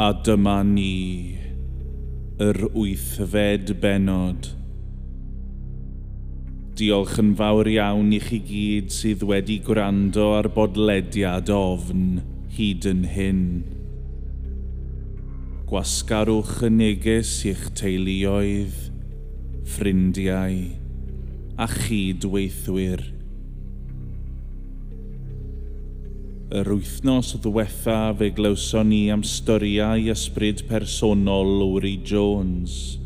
A dyma ni, yr 8fed bennod. Diolch yn fawr iawn i chi gyd sydd wedi gwrando ar bodlediad Ofn hyd yn hyn. Gwasgarwch y neges i'ch teuluoedd, ffrindiau a chydweithwyr. Yr wythnos ddiwetha fe glywson ni am storiau ysbryd personol Lowri Jones.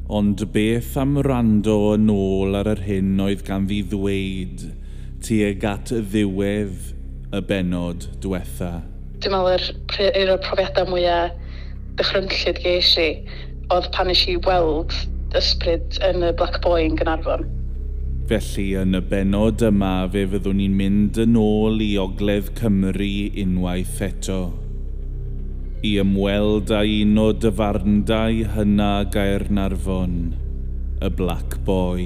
Ond beth am wrando yn ôl ar yr hyn oedd ganddi ddweud tuag at ddiwedd y bennod diwetha? Dwi'n meddwl yr un o'r profiadau mwyaf dychrynllyd ges i oedd pan nes i weld ysbryd yn y Black Boy yn Gaernarfon. Felly yn y bennod yma fe fyddwn ni'n mynd yn ôl i Ogledd Cymru unwaith eto, i ymweld â un o dafarndai hyna Gaernarfon, y Black Boy.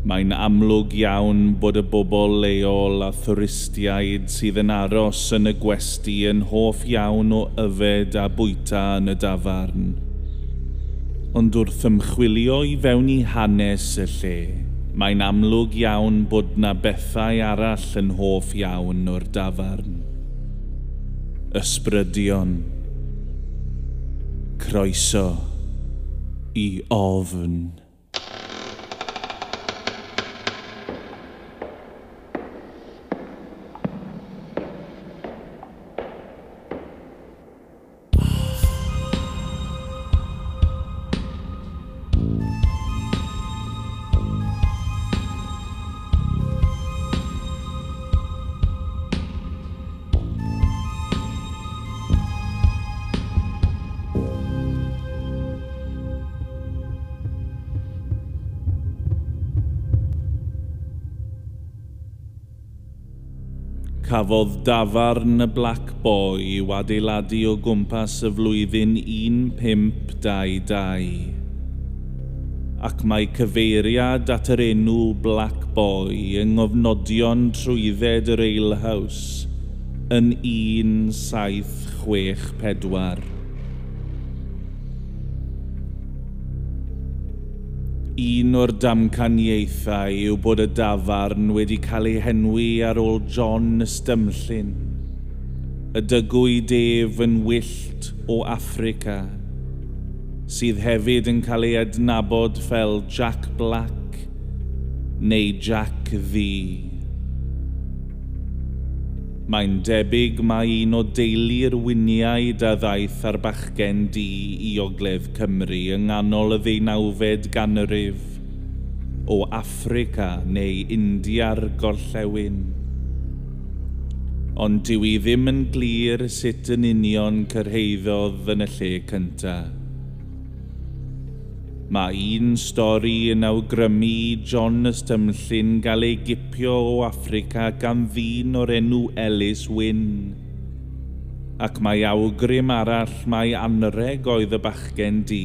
Mae'n amlwg iawn bod y bobl leol a thwristiaid sydd yn aros yn y gwesty yn hoff iawn o yfed a bwyta yn y dafarn. Ond wrth ymchwilio i fewn i hanes y lle, mae'n amlwg iawn bod 'na bethau arall yn hoff iawn o'r dafarn. Ysbrydion. Croeso i Ofn. Cafodd dafarn y Black Boy i'w adeiladu o gwmpas y flwyddyn 1522, ac mae cyfeiriad at yr enw Black Boy yng ngofnodion trwydded yr Alehouse yn 1764. Un o'r damcaniaethau yw bod y dafarn wedi cael ei henwi ar ôl John Ystumllyn, y dygwyd ef yn wyllt o Affrica, sydd hefyd yn cael ei adnabod fel Jack Black neu Jack Ddu. Mae'n debyg mai un o deulu'r Wynniaid a ddaeth ar bachgen du i Ogledd Cymru yng nghanol y 19fed ganrif, o Affrica neu India'r Gorllewin. Ond dyw hi ddim yn glir sut yn union cyrhaeddodd yn y lle cyntaf. Mae un stori yn awgrymu i John Ystumllyn gael ei gipio o Affrica gan ddyn o'r enw Ellis Wynne. Ac mae awgrym arall mai anrheg oedd y bachgen du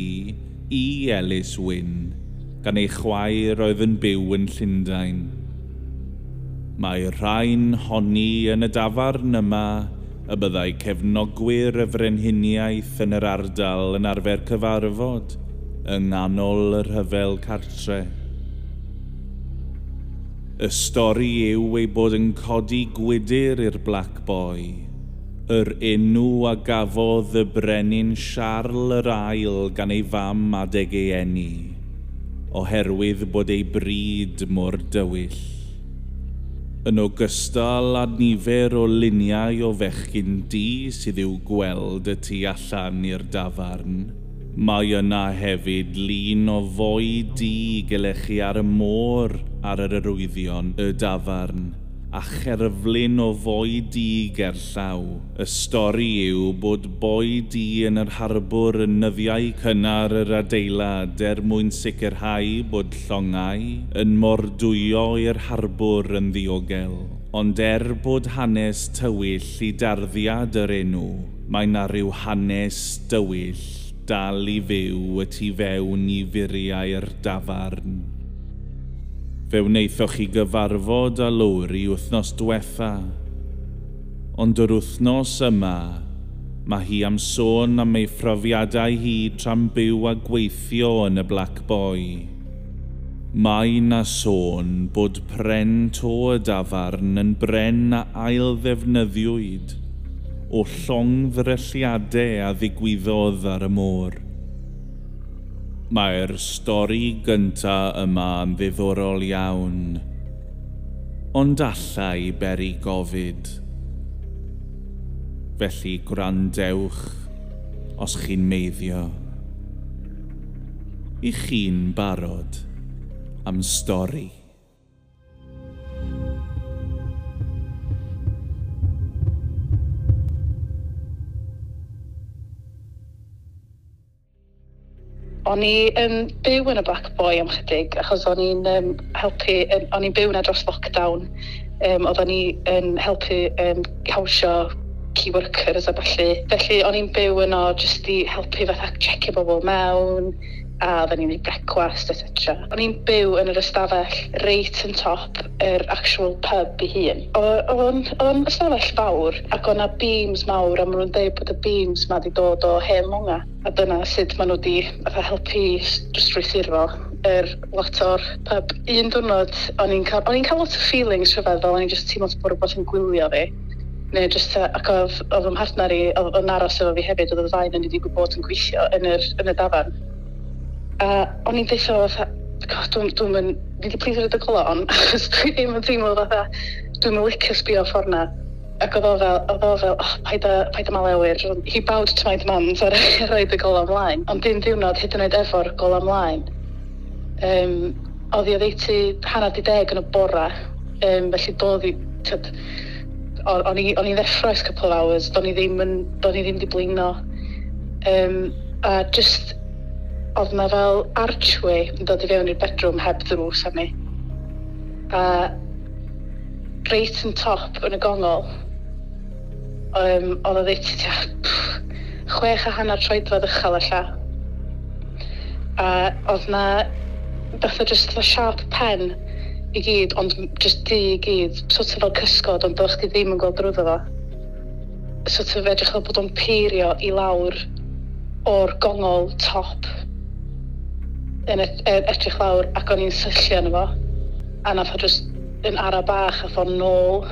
i Ellis Wynne, gan ei chwaer oedd yn byw yn Llundain. Mae rhai'n honni yn y dafarn yma y byddai cefnogwyr y frenhiniaeth yn yr ardal yn arfer cyfarfod yng nghanol y rhyfel cartre. Y stori yw ei bod yn codi gwydr i'r Black Boy, yr enw a gafodd y brenin Siarl yr Ail gan ei fam adeg ei eni, oherwydd bod ei bryd mor dywyll. Yn ogystal â nifer o luniau o fechgyn du sydd i'w gweld y tu allan i'r dafarn, mae yna hefyd lun o foi du gelechu ar y môr ar yr arwyddion y dafarn, a cherflun o foi du gerllaw. Y stori yw bod boi du yn yr harbwr yn nyddiau cynnar yr adeilad er mwyn sicrhau bod llongau yn mordwyo i'r harbwr yn ddiogel. Ond er bod hanes tywyll i darddiad yr enw, mae 'na ryw hanes dywyll dal i fyw y tu fewn i furiau'r dafarn. Fe wnaethoch chi gyfarfod â Lowri wythnos diwetha, Ond yr wythnos yma, mae hi am sôn am ei phrofiadau hi tra'n byw a gweithio yn y Black Boy. Mae 'na sôn bod pren to y dafarn yn bren a ail-ddefnyddiwyd o llongddrylliadau a ddigwyddodd ar y môr. Mae'r stori gynta yma yn ddiddorol iawn, ond allai beri gofid. Felly gwrandewch os chi'n meiddio. I chi'n barod am stori. O'n i yn byw yn y Black Boy am chydig, achos o'n i'n helpu, o'n i'n byw yna dros lockdown. Oedden ni yn helpu hawsio key workers a ballu. Felly o'n i'n byw yno jyst i helpu fatha checio bobl mewn, a oedden ni'n neud brecwast, etc. O'n i'n byw yn yr ystafell reit yn top yr actual pub ei hun. Oedd o'n ystafell fawr ac oedd 'na beams mawr, a maen nhw'n dweud bod y beams ma 'di dod o hen longa. A dyna sut maen nhw wedi fatha helpu strwythuro yr lot o'r pub. Un diwrnod o'n i'n cael lot o feelings rhyfedd, fel o'n i'n just teimlo bod rhywbeth yn gwylio fi. Neu just, ac oedd fy mhartner i, oedd yn aros efo fi hefyd, oedd y ddau yn wedi bod yn gweithio yn y dafarn. A o'n i'n deithio fatha, god, dwi'n mynd, fi wedi please rhaid y gola on, achos dwi ddim yn teimlo fatha, dwi'n mynd licio sbio ffordd na. Ac oedd o fel, oh, paid a malewyr. He bowed to my demands a roed y gola ymlaen. Ond dim diwrnod hyd yn oed efo'r gola ymlaen. Oedd hi oddeutu 10:30 yn y bora, felly doedd hi, o'n i'n ddeffro ers couple of hours, do'n i ddim wedi blino. A just, oedd na fel archway yn dod i fewn i'r bedroom heb ddrws arni. A reit yn top yn y gongol, oedd o ddeutu tua 6.5 troedfedd uchel ella. A oedd na fatha just fatha sharp pen i gyd, ond just du i gyd, sort of fel cysgod, ond do'ch chdi ddim yn gweld drwyddo fo. Sort of edrych fel bod o'n peirio i lawr o'r gongol top yn edrych lawr, ac o'n i'n syllu arno fo, a nath o just yn ara bach a fo nôl,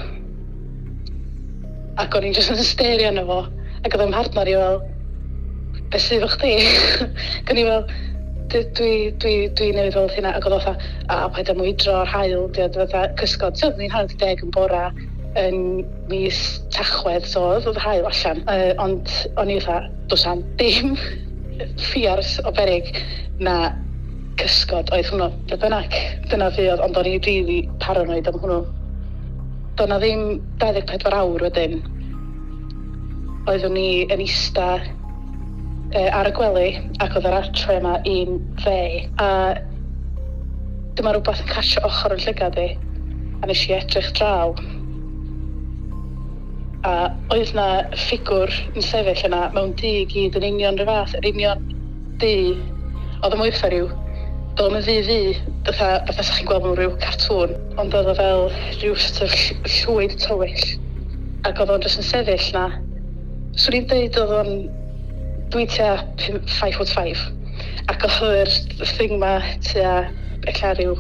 ac o'n i'n just yn stario arno fo, ac oedd 'y mhartner i fel, be sydd efo chdi? Ac o'n i fel, dwi newydd weld hynna, ac oedd o fatha, a paid â mwydro'r haul, fatha cysgod. So, oedden ni'n 9:30 yn bora yn mis Tachwedd, so oedd yr haul allan, ond o'n i fatha, does am dim ffiars o beryg na cysgod oedd hwnnw. Be bynnag, dyna fi oedd, ond o'n i really paranoid am hwnnw. Doedd na ddim 24 awr wedyn. Oeddwn ni yn ista ar y gwely, ac oedd yr archway yma un dde, a dyma rhywbeth yn catio ochr yn llygad i, a nes i edrych draw. A oedd na ffigwr yn sefyll yna mewn du i gyd, yn union rhyw fath, yr union du. Oedd o'n mwy rhyw, doedd o'n ddu, fatha sa chi'n gweld mewn rhyw cartŵn, ond oedd o fel rhyw sort of llwyd tywyll. Ac oedd o'n jyst yn sefyll na. Swn i'n deud oedd o'n, dwi tua 5'5", ac oedd yr thing ma tua ella rhyw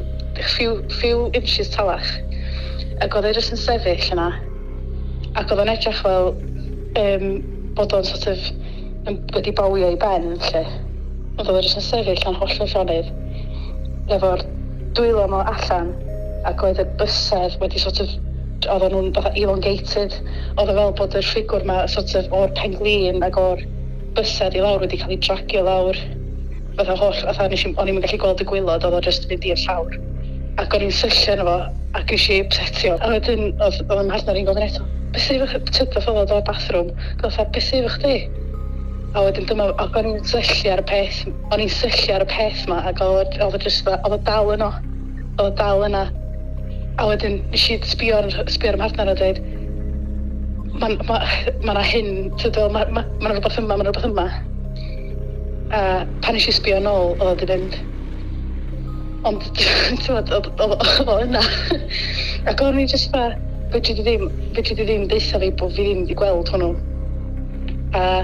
few inches talach. Ac oedd e jyst yn sefyll yna. Ac oedd o'n edrych fel bod o'n sort of wedi bowio i ben, lle. Ond oedd o jyst yn sefyll yn hollol llonydd, efo'r dwylo yma allan, ac oedd y bysedd wedi sort of, oedden nhw'n fatha elongated. Oedd o fel bod yr ffigwr ma sort of o'r penglin ac o'r bysedd i lawr wedi cael ei dragio lawr. Fatha holl, fatha o'n i'm yn gallu gweld y gwaelod, oedd o jyst yn mynd i'r llawr. Ac o'n i'n syllu arno fo, ac nes i upsetio. A wedyn oedd 'y mhartner i'n gofyn eto, be sydd efo chdi? Tyd oedd o'r bathroom. Fatha, be sydd efo chdi? A wedyn dyma, ac o'n i'n syllu ar y peth, o'n i'n syllu ar y peth ma, ac oedd o just, oedd o dal yno. Oedd o dal yna. A wedyn nes i sbio ar 'y mhartner a dweud, ma' 'na hyn, ma' 'na rhywbeth yma, ma' 'na rhywbeth yma. A pan nes i sbio nôl, oedd o 'di fynd. Ond, ti'n gwbod, oedd o yna. Ac o'n i just fatha, Fedri di ddim, fedri di ddim deutha fi bod fi ddim wedi gweld hwnnw. A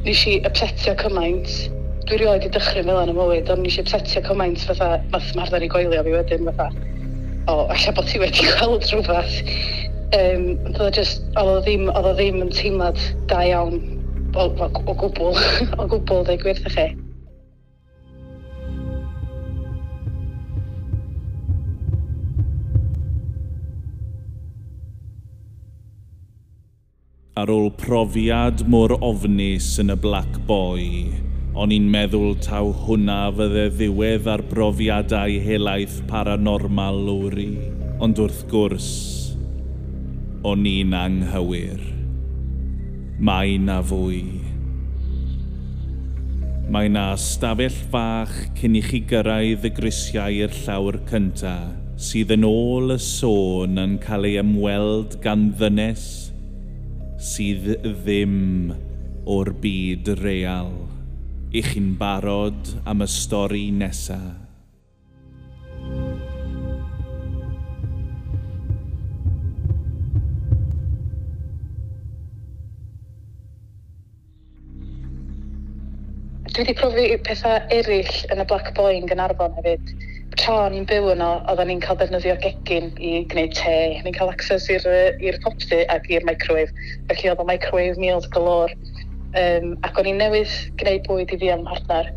nes i upsetio cymaint. Dwi rioed 'di dychryn fel 'na yn 'y mywyd, ond nes i upsetio cymaint fatha, nath mhartnar i goelio fi wedyn fatha, o, ella bod ti wedi gweld rhywbeth. Oedd o just, oedd o ddim, oedd o ddim yn teimlad da iawn o gwbl, o gwbl, dweud gwir wrthych chi. Ar ôl profiad mor ofnus yn y Black Boy, o'n i'n meddwl taw hwnna fydde ddiwedd ar brofiadau helaeth paranormal Lowri. Ond wrth gwrs, o'n i'n anghywir. Mae 'na fwy. Mae 'na stafell fach cyn i chi gyrraedd y grisiau i'r llawr cynta, sydd yn ôl y sôn yn cael ei ymweld gan ddynes sydd ddim o'r byd real. I chi'n barod am y stori nesa? Dwi wedi profi pethau eraill yn y Black Boy yn Gaernarfon hefyd. Tra o'n i'n byw yno, oedden ni'n cael defnyddio'r gegin i gwneud te. Ni'n cael access i'r popty ac i'r microwave. Felly oedd o microwave meals galore. Ac o'n i'n newydd gwneud bwyd i fi a'm mhartner.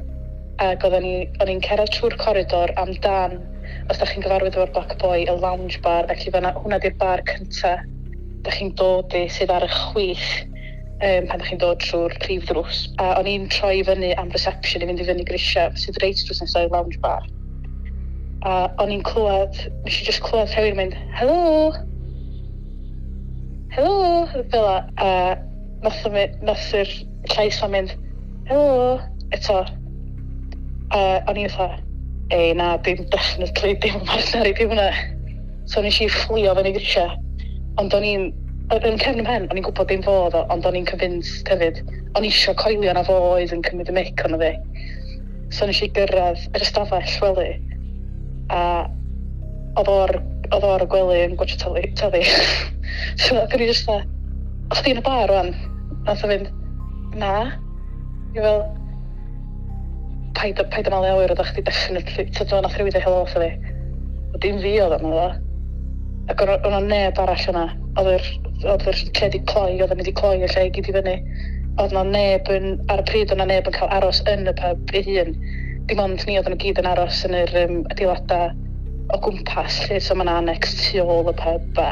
Ac oedden ni, o'n i'n cerdded trwy'r coridor amdan, os da chi'n gyfarwydd efo'r Black Boy, y lounge bar. Felly fan'na, hwnna di'r bar cynta da chi'n dod i sydd ar y chwith pan da chi'n dod trwy'r prif ddrws. A o'n i'n troi i fyny am reception i fynd i fyny grisiau, sydd reit drws nesaf i'r lounge bar. A o'n i'n clywed, nes i just clywed rhywun yn mynd, "Hello! Hello!" Fel 'a. A nath yr llais ma'n mynd, "Hello!" Eto. A o'n i'n fatha, ei na, dim definitely, dim partner i di hwnna. So nes i fflio fyny grisiau. Ond o'n i'n, yn cefn 'y mhen, o'n i'n gwybod dim fo oedd o, ond o'n i'n convinced hefyd. O'n i isio coelio na fo oedd yn cymryd y mic ono fi. So nes i gyrraedd yr ystafell wely, a oedd o ar y gwely yn gwatchio teli. So ac o'n i just fatha, "O, chdi yn y bar rwan?" Nath o fynd, "Na." I fel, paid â malu awyr, oeddach chdi definitely, t'od, nath rhywun ddeud helo wrtho fi. O, dim fi oedd o, medda fo. Ac o'n o'na neb arall yna. Oedd yr lle 'di cloi, oedden ni 'di cloi y lle i gyd i fyny. Oedd 'na neb yn, ar y pryd oedd 'na neb yn cael aros yn y pub ei hun. Dim ond ni oedden nhw gyd yn aros yn yr adeiladau o gwmpas, lle, so mae 'na annex tu ôl y pub a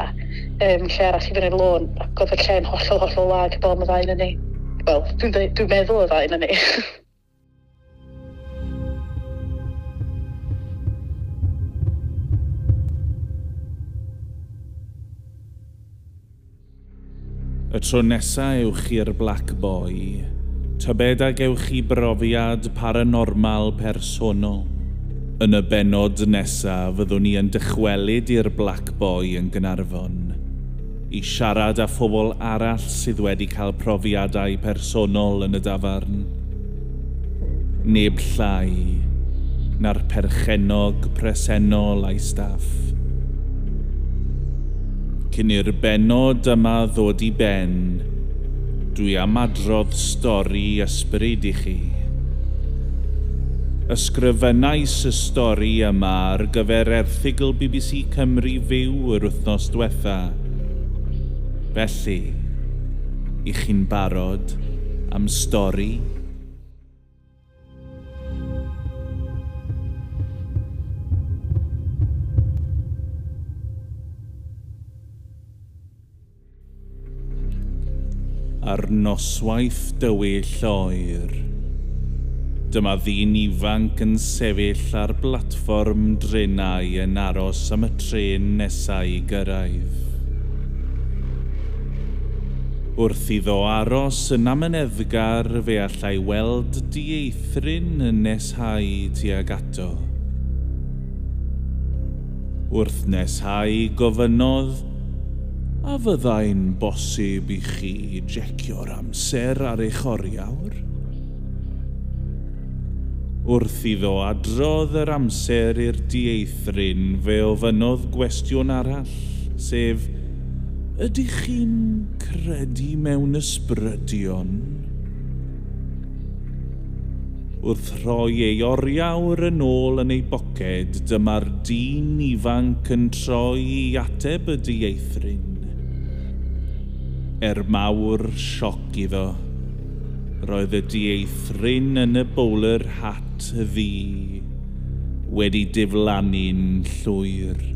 lle arall i fyny'r lôn. Ac oedd y lle'n hollol, hollol wag heblaw am y ddau yn ni. Wel, dwi meddwl y ddau yn ni. Y tro nesa ewch i'r Black Boy, tybed a gewch chi brofiad paranormal personol. Yn y bennod nesa fyddwn ni yn dychwelyd i'r Black Boy yn Gaernarfon i siarad â phobl arall sydd wedi cael profiadau personol yn y dafarn. Neb llai na'r perchennog presennol a'i staff. Cyn i'r bennod yma ddod i ben, dwi am adrodd stori ysbryd i chi. Ysgrifennais y stori yma ar gyfer erthygl BBC Cymru Fyw yr wythnos diwetha. Felly, i chi'n barod am stori? Ar noswaith dywyll oer, dyma ddyn ifanc yn sefyll ar blatfform drenau yn aros am y trên nesaf i gyrraedd. Wrth iddo aros yn amyneddgar, fe allai weld dieithryn yn neshau tuag ato. Wrth neshau gofynnodd, "A fyddai'n bosib i chi jecio'r amser ar eich oriawr?" Wrth iddo adrodd yr amser i'r dieithryn, fe ofynnodd gwestiwn arall, sef, Ydych chi'n credu mewn ysbrydion? Wrth rhoi ei oriawr yn ôl yn ei boced, dyma'r dyn ifanc yn troi i ateb y dieithryn. Er mawr sioc iddo, roedd y dieithryn yn y bowler hat ddu wedi diflannu'n llwyr.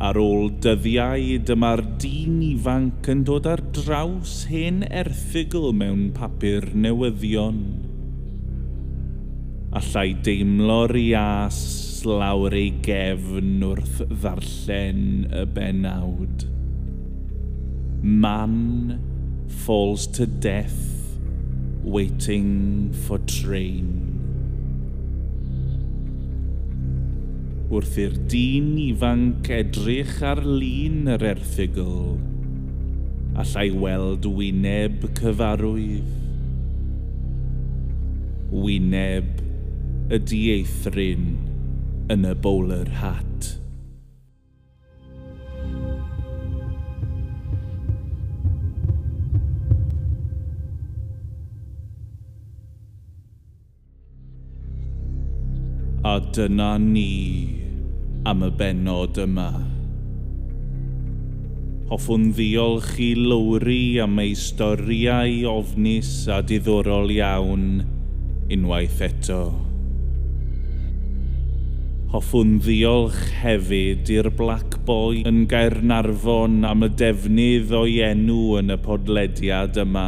Ar ôl dyddiau, dyma'r dyn ifanc yn dod ar draws hen erthygl mewn papur newyddion. Allai deimlo'r ias lawr ei gefn wrth ddarllen y bennawd. Man falls to death waiting for train. Wrth i'r dyn ifanc edrych ar lun yr erthygl, allai weld wyneb cyfarwydd. Wyneb y dieithryn yn y bowler hat. A dyna ni am y bennod yma. Hoffwn ddiolch i Lowri am ei storïau ofnus a diddorol iawn unwaith eto. Hoffwn ddiolch hefyd i'r Black Boy yn Gaernarfon am y defnydd o'i enw yn y podlediad yma.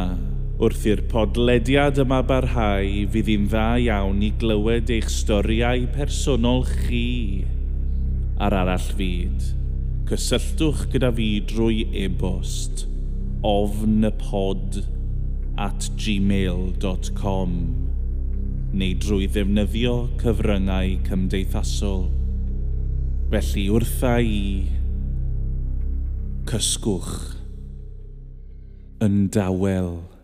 Wrth i'r podlediad yma barhau, fydd hi'n dda iawn i glywed eich storïau personol chi ar arall fyd. Cysylltwch gyda fi drwy e-bost ofnypod@gmail.com neu drwy ddefnyddio cyfryngau cymdeithasol. Felly wrtha i, cysgwch yn dawel.